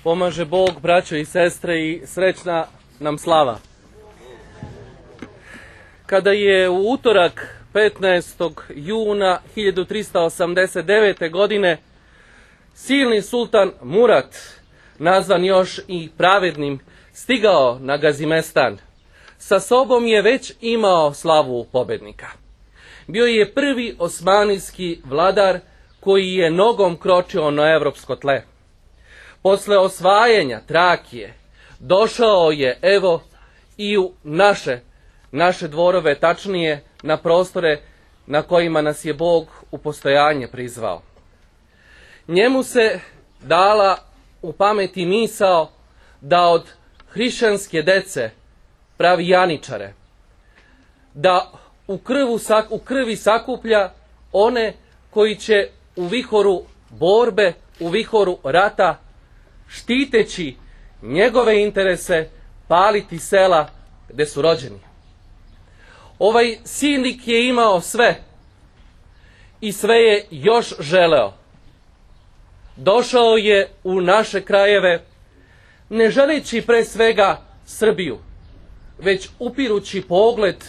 Pomaže Bog, braćo i sestre, i srećna nam slava. Kada je u utorak 15. juna 1389. godine silni sultan Murat, nazvan još i pravednim, stigao na Gazimestan, sa sobom je već imao slavu pobednika. Bio je prvi osmanijski vladar koji je nogom kročio na evropsko tle. Posle osvajanja Trakije došao je evo i u naše dvorove, tačnije na prostore na kojima nas je Bog u postojanje prizvao. Njemu se dala u pameti misao da od hrišćanske dece pravi janičare, da u krvi sakuplja one koji će u vihoru borbe, u vihoru rata, štiteći njegove interese, paliti sela gde su rođeni. Ovaj silnik je imao sve i sve je još želeo. Došao je u naše krajeve ne želeći pre svega Srbiju, već upirući pogled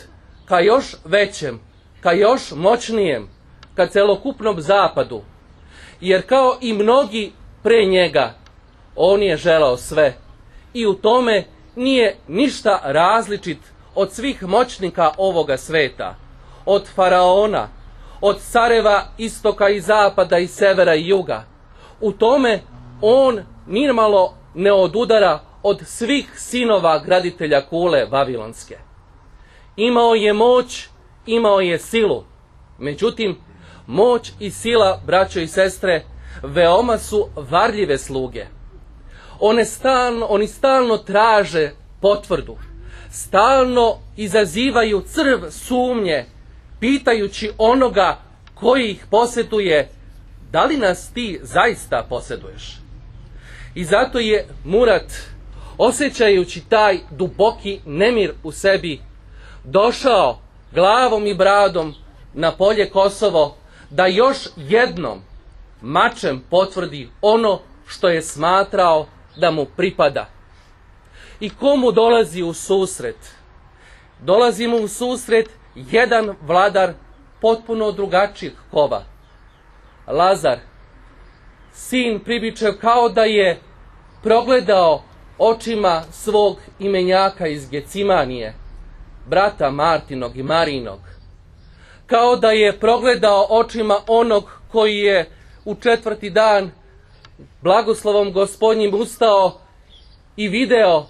ka još većem, ka još moćnijem, ka celokupnom zapadu, jer kao i mnogi pre njega, on je želeo sve i u tome nije ništa različit od svih moćnika ovoga sveta, od faraona, od careva istoka i zapada i severa i juga. U tome on nimalo ne odudara od svih sinova graditelja kule Vavilonske. Imao je moć, imao je silu, međutim, moć i sila, braćo i sestre, veoma su varljive sluge. Oni stalno traže potvrdu, stalno izazivaju crv sumnje, pitajući onoga koji ih posjeduje, da li nas ti zaista posjeduješ? I zato je Murat, osjećajući taj duboki nemir u sebi, došao glavom i bradom na polje Kosovo da još jednom mačem potvrdi ono što je smatrao da mu pripada. I komu dolazi u susret? Dolazi mu u susret jedan vladar potpuno drugačijeg kova. Lazar, sin Pribičev, kao da je progledao očima svog imenjaka iz Gecimanije, brata Martinog i Marinog. Kao da je progledao očima onog koji je u 4. dan blagoslovom Gospodnjim ustao i video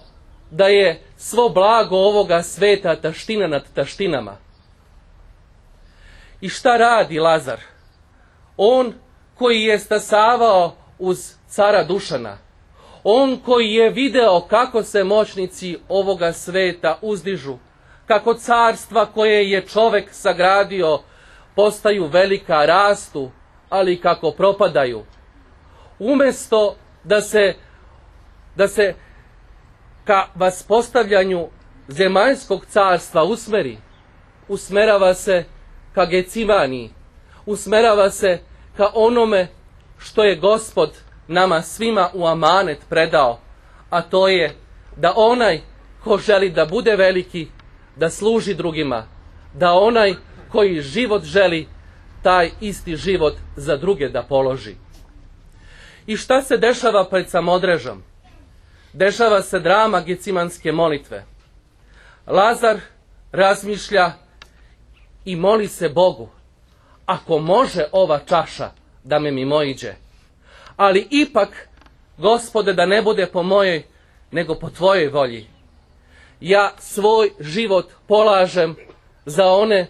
da je svo blago ovoga sveta taština nad taštinama. I šta radi Lazar? On koji je stasavao uz cara Dušana, on koji je video kako se moćnici ovoga sveta uzdižu, kako carstva koje je čovek sagradio postaju velika, rastu, ali kako propadaju. Umesto da se ka vaspostavljanju zemaljskog carstva usmerava se ka Gecimaniji, usmerava se ka onome što je Gospod nama svima u amanet predao, a to je da onaj ko želi da bude veliki, da služi drugima, da onaj koji život želi, taj isti život za druge da položi. I šta se dešava pred Samodrežom? Dešava se drama Gecimanske molitve. Lazar razmišlja i moli se Bogu: ako može ova čaša da me mimoiđe, ali ipak, Gospode, da ne bude po mojoj, nego po tvojoj volji. Ja svoj život polažem za one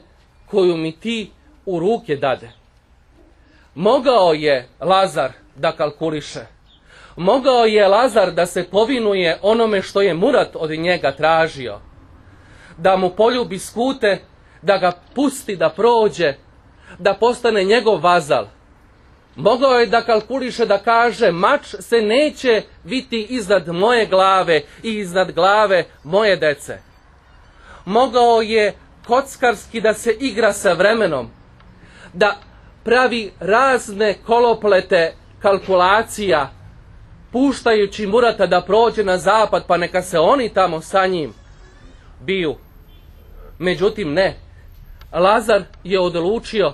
koju mi ti u ruke dade. Mogao je Lazar da kalkuliše. Mogao je Lazar da se povinuje onome što je Murat od njega tražio. Da mu poljubi skute, da ga pusti da prođe, da postane njegov vazal. Mogao je da kalkuliše, da kaže: mač se neće viti iznad moje glave i iznad glave moje dece. Mogao je kockarski da se igra sa vremenom, da pravi razne koloplete kalkulacija, puštajući Murata da prođe na zapad, pa neka se oni tamo sa njim biju. Međutim, ne. Lazar je odlučio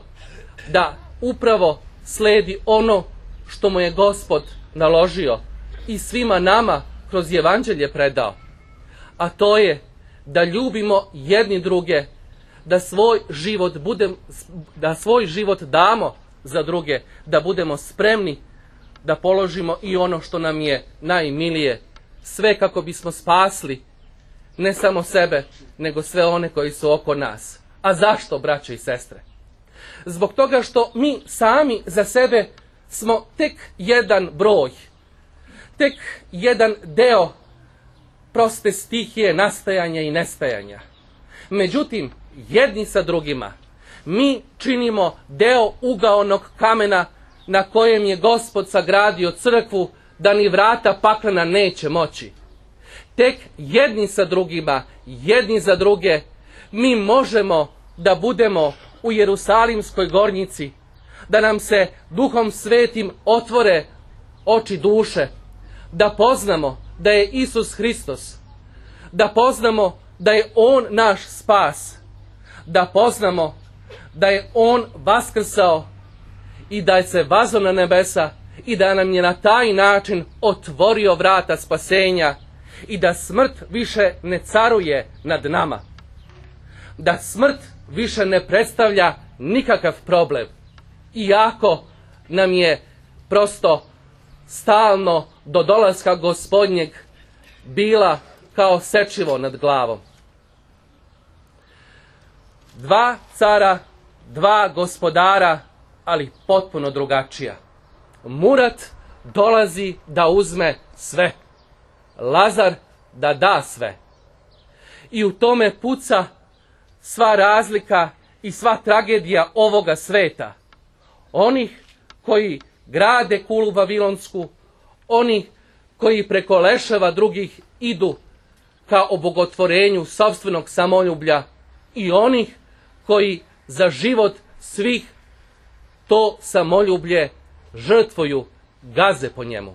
da upravo sledi ono što mu je Gospod naložio i svima nama kroz evanđelje predao. A to je da ljubimo jedni druge, da svoj život damo za druge, da budemo spremni da položimo i ono što nam je najmilije, sve kako bismo spasli ne samo sebe, nego sve one koji su oko nas. A zašto, braće i sestre? Zbog toga što mi sami za sebe smo tek jedan broj, tek jedan deo proste stihije nastajanja i nestajanja. Međutim, jedni sa drugima mi činimo deo ugaonog kamena na kojem je Gospod sagradio crkvu, da ni vrata paklena neće moći. Tek jedni sa drugima, jedni za druge, mi možemo da budemo u Jerusalimskoj gornjici, da nam se Duhom Svetim otvore oči duše, da poznamo da je Isus Hristos, da poznamo da je On naš spas, da poznamo da je On vaskrsao i da je se vazao na nebesa i da nam je na taj način otvorio vrata spasenja i da smrt više ne caruje nad nama. Da smrt više ne predstavlja nikakav problem, iako nam je prosto stalno do dolaska Gospodnjeg bila kao sečivo nad glavom. Dva cara, dva gospodara, ali potpuno drugačija. Murat dolazi da uzme sve, Lazar da da sve. I u tome puca sva razlika i sva tragedija ovoga sveta. Onih koji grade kulu vavilonsku, onih koji preko leševa drugih idu ka obogotvorenju sopstvenog samoljublja i onih koji za život svih to samoljublje žrtvuju, gaze po njemu.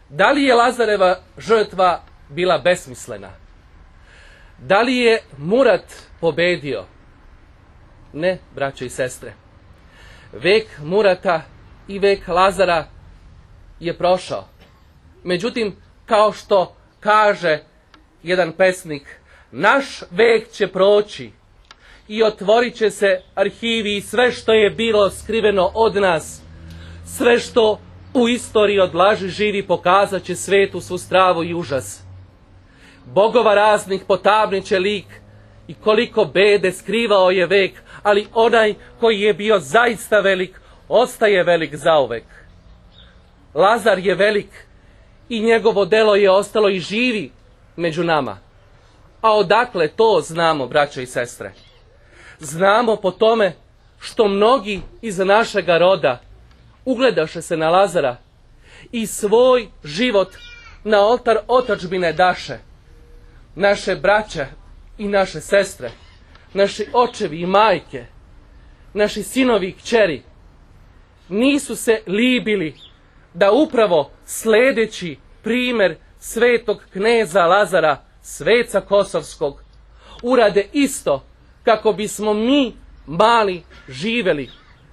Da li je Lazareva žrtva bila besmislena? Da li je Murat pobedio? Ne, braćo i sestre. Vek Murata i vek Lazara je prošao. Međutim, kao što kaže jedan pesnik, naš vek će proći i otvorit će se arhivi i sve što je bilo skriveno od nas, sve što u istoriji od laži živi, pokazat će svetu svu stravu i užas. Bogova raznih potamniće lik i koliko bede skrivao je vek, ali onaj koji je bio zaista velik, ostaje velik zauvek. Lazar je velik i njegovo delo je ostalo i živi među nama. A odakle to znamo, braćo i sestre? Znamo po tome što mnogi iz našega roda ugledaše se na Lazara i svoj život na oltar otadžbine daše. Naše braće i naše sestre, naši očevi i majke, naši sinovi i kćeri nisu se libili da upravo sledeći primer svetog kneza Lazara, sveca Kosovskog, urade isto kako bismo mi mali živeli,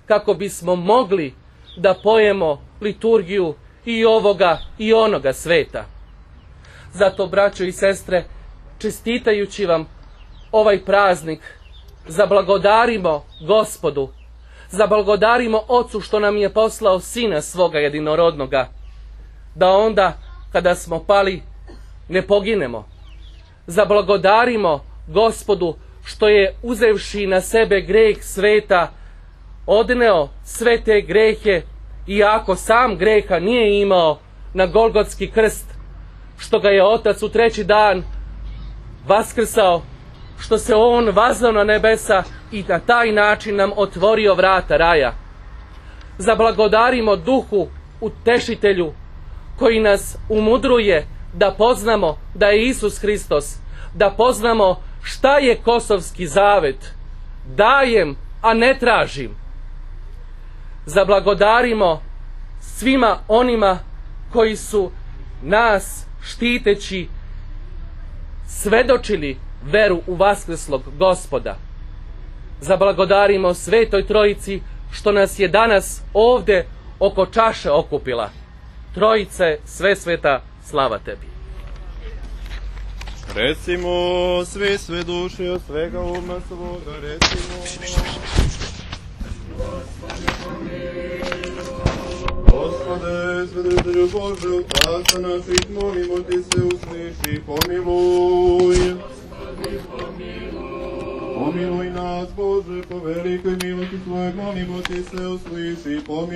kako bismo mogli da pojemo liturgiju i ovoga i onoga sveta. Zato, braćo i sestre, čestitajući vam ovaj praznik, zablagodarimo Gospodu, zablagodarimo Ocu što nam je poslao Sina svoga jedinorodnoga, da onda kada smo pali ne poginemo. Zablagodarimo Gospodu što je, uzevši na sebe greh sveta, odneo sve te grehe, iako sam greha nije imao, na Golgotski krst, što ga je Otac u 3. dan vaskrsao, što se On vazao na nebesa i na taj način nam otvorio vrata raja. Zablagodarimo Duhu Utešitelju, koji nas umudruje da poznamo da je Isus Hristos, da poznamo šta je Kosovski zavet. Dajem, a ne tražim. Zablagodarimo svima onima koji su nas štiteći svedočili veru u vaskreslog Gospoda. Zablagodarimo Svetoj Trojici što nas je danas ovde oko čaše okupila. Trojice Svesveta, slava tebi. Recimo, sve duše od svega uma svoga, recimo. Gospode, svedritelju Bože, Otca naših, molimo ti se, usliši, pomiluj. Pomiluj nas, Bože, po velikoj milosti tvojoj, molimo ti se, usliši, pomiluj.